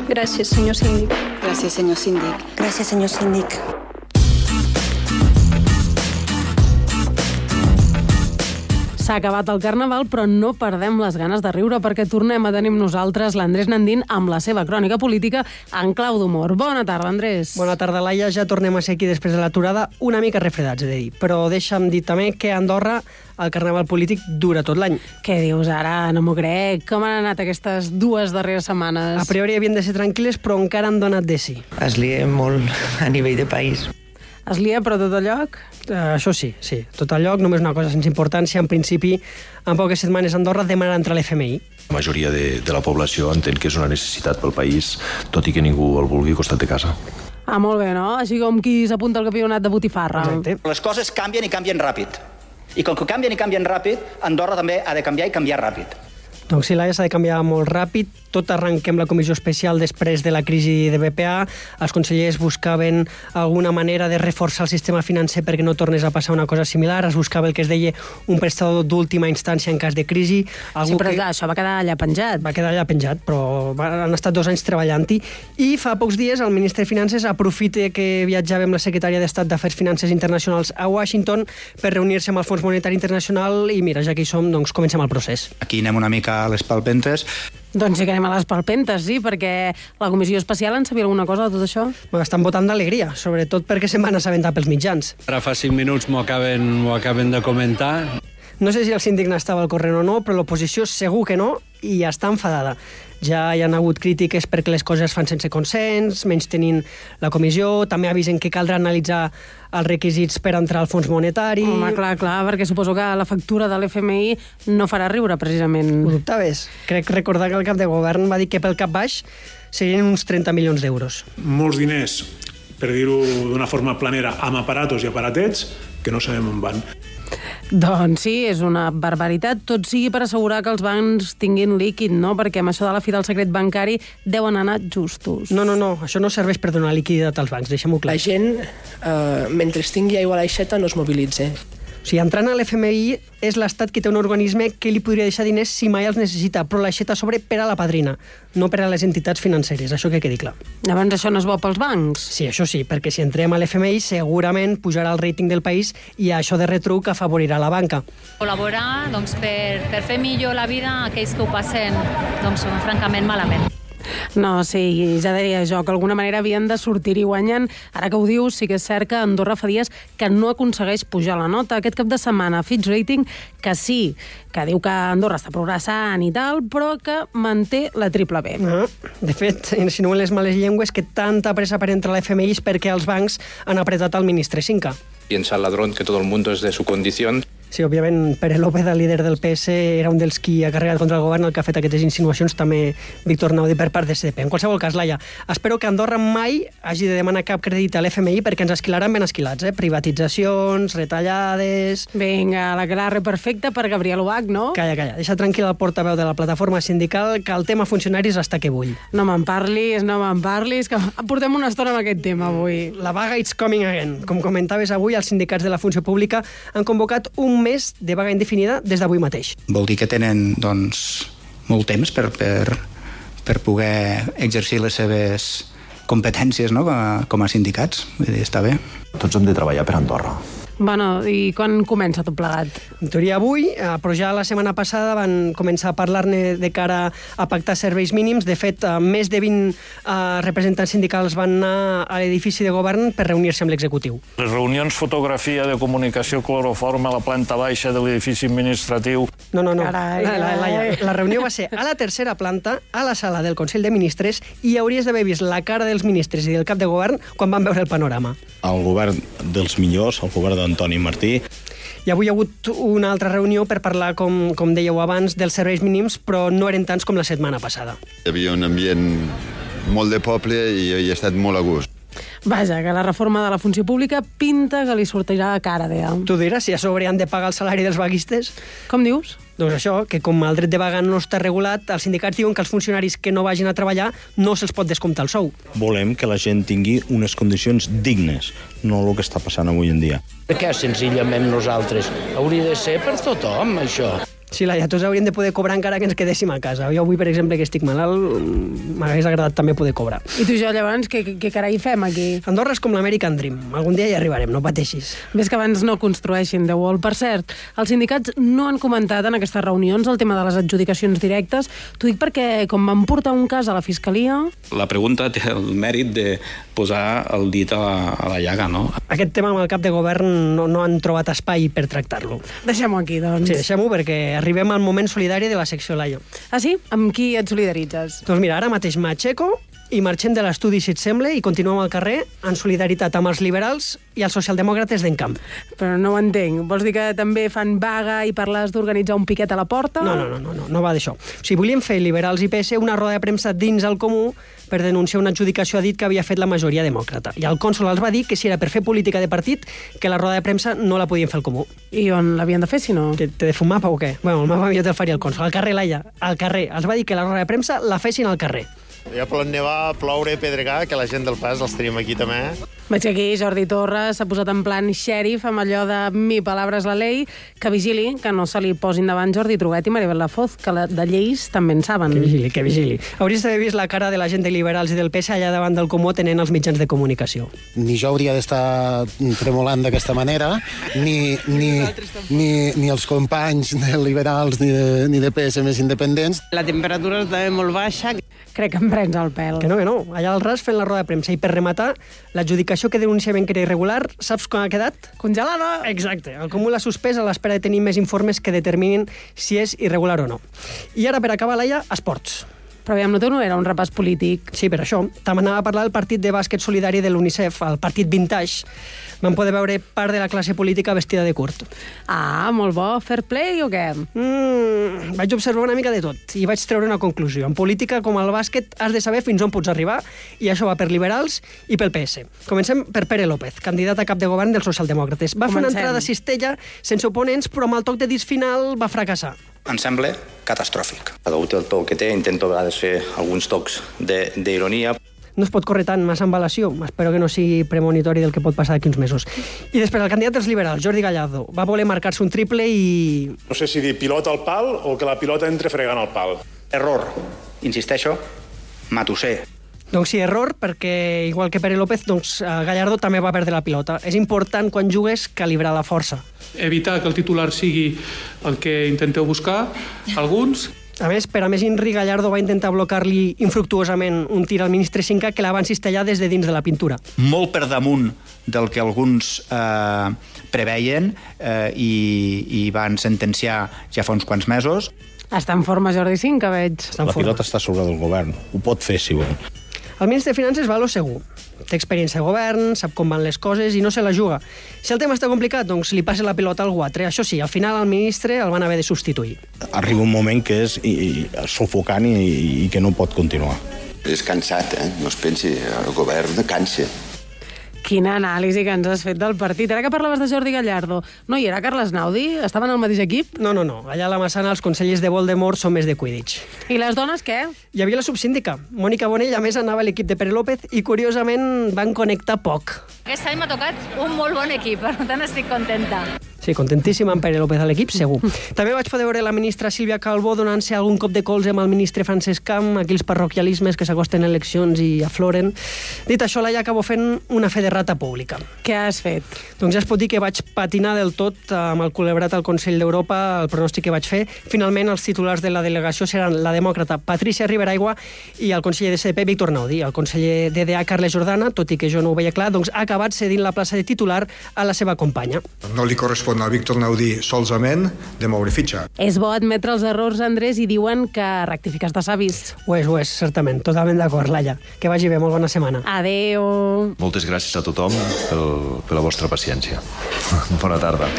Gràcies, senyor síndic. Gràcies, senyor síndic. Gràcies, senyor síndic. S'ha acabat el Carnaval, però no perdem les ganes de riure perquè tornem a tenir amb nosaltres l'Andrés Nandín amb la seva crònica política en clau d'humor. Bona tarda, Andrés. Bona tarda, Laia. Ja tornem a ser aquí després de l'aturada, una mica refredats, he de dir. Però deixa'm dir també que a Andorra el Carnaval polític dura tot l'any. Què dius ara? No m'ho crec. Com han anat aquestes 2 darreres setmanes? A priori havien de ser tranquil·les, però encara han donat de sí. Es lia molt a nivell de país. Es lia, però tot a lloc? Això sí. Tot a lloc, només una cosa sense importància. En principi, en poques setmanes Andorra demanarà entrar a l'FMI. La majoria de la població entén que és una necessitat pel país, tot i que ningú el vulgui al costat de casa. Molt bé, no? Així com qui s'apunta al campionat de botifarra. Exacte. Les coses canvien i canvien ràpid. I com que canvien i canvien ràpid, Andorra també ha de canviar i canviar ràpid. Doncs sí, Laia, s'ha de canviar molt ràpid. Tot arrenquem la comissió especial després de la crisi de BPA. Els consellers buscaven alguna manera de reforçar el sistema financer perquè no tornés a passar una cosa similar. Es buscava el que es deia un prestador d'última instància en cas de crisi. Sí, però això va quedar allà penjat. Va quedar allà penjat, però han estat 2 anys treballant-hi. I fa pocs dies el ministre de Finances aprofita que viatjava amb la secretària d'Estat d'Afers Finances Internacionals a Washington per reunir-se amb el Fons Monetari Internacional i mira, ja que hi som, doncs comencem el procés. Aquí anem una mica a les palpentes. Doncs sí que anem a les palpentes, sí, perquè la comissió especial en sabia alguna cosa de tot això? Estan votant d'alegria, sobretot perquè se'n van assabentar pels mitjans. Ara fa 5 minuts m'ho acaben de comentar. No sé si el síndic n'estava al corrent o no, però l'oposició segur que no, i està enfadada. Ja hi ha hagut crítiques perquè les coses es fan sense consens, menys tenint la comissió, també avisen que caldrà analitzar els requisits per entrar al fons monetari... Home, clar, perquè suposo que la factura de l'FMI no farà riure, precisament. Ho dubtaves? Crec recordar que el cap de govern va dir que pel cap baix serien uns 30 milions d'euros. Molts diners, per dir-ho d'una forma planera, amb aparatos i aparatets que no sabem on van. Doncs sí, és una barbaritat. Tot sigui per assegurar que els bancs tinguin líquid, no? Perquè amb això de la fi del secret bancari deuen anar justos. No, això no serveix per donar liquiditat als bancs, deixem-ho clar. La gent, mentre tingui aigua a l'aixeta, no es mobilitza. O sigui, entrant a l'FMI és l'Estat qui té un organisme que li podria deixar diners si mai els necessita, però l'aixeta a sobre per a la padrina, no per a les entitats financeres, això que quedi clar. Llavors això no és bo pels bancs? Sí, això sí, perquè si entrem a l'FMI segurament pujarà el rating del país i això de retruc afavorirà la banca. Col·laborar per fer millor la vida a aquells que ho passen francament malament. No, sí, ja diria jo que d'alguna manera havien de sortir-hi guanyant. Ara que ho dius, sí que és cert que Andorra fa dies que no aconsegueix pujar la nota. Aquest cap de setmana Fitch Rating, que sí, que diu que Andorra està progressant i tal, però que manté la triple B. De fet, insinuen les males llengües que tanta pressa per entrar a l'FMI és perquè els bancs han apretat el ministre Cinca. Piensa el ladrón que todo el mundo es de su condición. Sí, òbviament, Pere López, el líder del PS, era un dels qui ha carregat contra el govern, el que ha fet aquestes insinuacions, també Víctor Naudi per part de CDP. En qualsevol cas, Laia, espero que Andorra mai hagi de demanar cap crèdit a l'FMI perquè ens esquilaran ben esquilats, privatitzacions, retallades... Vinga, la clara perfecta per Gabriel Ubach, no? Calla, deixa tranquil el portaveu de la plataforma sindical que el tema funcionaris està que bull. No me'n parlis, que portem una estona amb aquest tema avui. La vaga it's coming again. Com comentaves avui, els sindicats de la funció pública han convocat un mes de vaga indefinida des d'avui mateix. Vol dir que tenen, molt temps per poder exercir les seves competències, no?, com a sindicats. Vull dir, està bé. Tots hem de treballar per Andorra. Bueno, i quan comença tot plegat? En teoria avui, però ja la setmana passada van començar a parlar-ne de cara a pactar serveis mínims. De fet, més de 20 representants sindicals van anar a l'edifici de govern per reunir-se amb l'executiu. Les reunions, fotografia de comunicació cloroforme a la planta baixa de l'edifici administratiu. No. Carai. La reunió va ser a la tercera planta, a la sala del Consell de Ministres, i hauries d'haver vist la cara dels ministres i del cap de govern quan van veure el panorama. El govern dels millors, el govern d'Antoni Martí. I avui hi ha hagut una altra reunió per parlar, com dèieu abans, dels serveis mínims, però no eren tants com la setmana passada. Hi havia un ambient molt de poble i he estat molt a gust. Vaja, que la reforma de la funció pública pinta que li sortirà a cara, deia. Tu diràs si a sobre han de pagar el salari dels vaguistes? Com dius? Doncs això, que com el dret de vaga no està regulat, els sindicats diuen que els funcionaris que no vagin a treballar no se'ls pot descomptar el sou. Volem que la gent tingui unes condicions dignes, no el que està passant avui en dia. Perquè senzillament nosaltres hauria de ser per tothom, això. Sí, Laia, tots hauríem de poder cobrar encara que ens quedéssim a casa. Jo avui, per exemple, que estic malalt, m'hagués agradat també poder cobrar. I tu i jo, llavors, què carai fem aquí? Andorra és com l'American Dream. Algun dia hi arribarem, no pateixis. Ves que abans no construeixin The Wall. Per cert, els sindicats no han comentat en aquestes reunions el tema de les adjudicacions directes. T'ho dic perquè, com van portar un cas a la Fiscalia... La pregunta té el mèrit de posar el dit a la llaga, no? Aquest tema amb el cap de govern no han trobat espai per tractar-lo. Deixem-ho aquí, doncs. Sí, deixem-ho perquè arribem al moment solidari de la secció Laia. Ah, sí? Amb qui et solidaritzes? Doncs mira, ara mateix m'aixeco i marxem de l'estudi, si et sembla, i continuem al carrer en solidaritat amb els liberals i els socialdemòcrates d'Encamp. Però no ho entenc. Vols dir que també fan vaga i parles d'organitzar un piquet a la porta? No va d'això. O sigui, volíem fer liberals i PS una roda de premsa dins el Comú per denunciar una adjudicació a dit que havia fet la majoria demòcrata. I el cònsol els va dir que si era per fer política de partit, que la roda de premsa no la podien fer al Comú. I on l'havien de fer, si no? T'he de fer un mapa o què? Bueno, el mapa millor te'l faria el cònsol. Al carrer, Laia, al carrer. Els va dir que la roda de premsa la fessin al carrer. Ja pot nevar, ploure, pedregar, que la gent del pas els tenim aquí també. Veig que aquí Jordi Torres s'ha posat en plan xèrif amb allò de mi palabra és la ley, que vigili, que no se li posin davant Jordi Truguet i Maribel Lafoz, que de lleis també en saben. Que vigili. Hauries d'haver vist la cara de la gent de liberals i del PS allà davant del Comú tenint els mitjans de comunicació. Ni jo hauria d'estar tremolant d'aquesta manera, ni els companys de liberals ni de PS més independents. La temperatura està molt baixa. Crec que em prens el pèl. Que no. Allà al ras fent la roda de premsa. I per rematar, l'adjudicació que denunciaven que era irregular, saps com ha quedat? Congelada! Exacte. El Comú l'ha suspès a l'espera de tenir més informes que determinin si és irregular o no. I ara, per acabar, Laia, esports. Però aviam, no era un repàs polític. Sí, per això. També anava a parlar del partit de bàsquet solidari de l'UNICEF, el partit Vintage. Vam poder veure part de la classe política vestida de curt. Ah, molt bo. Fair play o què? Vaig observar una mica de tot i vaig treure una conclusió. En política, com al bàsquet, has de saber fins on pots arribar i això va per liberals i pel PS. Comencem per Pere López, candidat a cap de govern dels socialdemòcrates. Va fer una entrada cistella sense oponents, però amb el toc de disc final va fracassar. Em sembla catastròfic. Cada un té el to que té, intento a vegades fer alguns tocs d'ironia. No es pot córrer tant massa embalació. Espero que no sigui premonitori del que pot passar d'aquí uns mesos. I després, el candidat dels liberals, Jordi Gallardo, va voler marcar-se un triple i... No sé si dir pilota al pal o que la pilota entre fregant al pal. Error. Insisteixo, matusser. Doncs sí, error, perquè, igual que Pere López, Gallardo també va perdre la pilota. És important, quan jugues, calibrar la força. Evitar que el titular sigui el que intenteu buscar, alguns. A més, per a més inri, Gallardo va intentar blocar-li infructuosament un tir al ministre Cinca que la van cistellar des de dins de la pintura. Molt per damunt del que alguns preveien i van sentenciar ja fa uns quants mesos. Està en forma Jordi Cinca, veig. La pilota està sobre del govern. Ho pot fer, si vol. El ministre de Finances va a lo segur. Té experiència de govern, sap com van les coses i no se la juga. Si el tema està complicat, doncs li passa la pilota a algú altre. Això sí, al final el ministre el van haver de substituir. Arriba un moment que és sufocant i que no pot continuar. És cansat, No es pensi, el govern cansa. Quina anàlisi que ens has fet del partit. Ara que parlaves de Jordi Gallardo, no hi era Carles Naudi? Estaven al mateix equip? No. Allà a la Massana els consellers de Voldemort són més de Quidditch. I les dones què? Hi havia la subsíndica. Mònica Bonell, a més, anava a l'equip de Pere López i, curiosament, van connectar poc. Aquest any m'ha tocat un molt bon equip, per tant estic contenta. Sí, contentíssima amb Pere López a l'equip, segur. També vaig poder veure la ministra Sílvia Calbó donant-se algun cop de colze amb el ministre Francesc Camp, aquells parroquialismes que s'acosten eleccions i afloren. Dit això, Laia, acabo fent una fe de rata pública. Què has fet? Doncs ja es pot dir que vaig patinar del tot amb el culebrat al Consell d'Europa, el pronòstic que vaig fer. Finalment, els titulars de la delegació seran la demòcrata Patricia Riberaigua i el conseller de CDP, Víctor Naudi. El conseller d'EDA, Carles Jordana, tot i que jo no ho veia clar, doncs ha acabat cedint la plaça de titular a la seva companya. No li correspon a Víctor Naudi solament de moure fitxa. És bo admetre els errors, Andrés, i diuen que rectifiques de savis. Ho és, certament. Totalment d'acord, Laia. Que vagi bé, molt bona setmana. Adéu. Moltes gràcies a tothom per la vostra paciència. Bona tarda.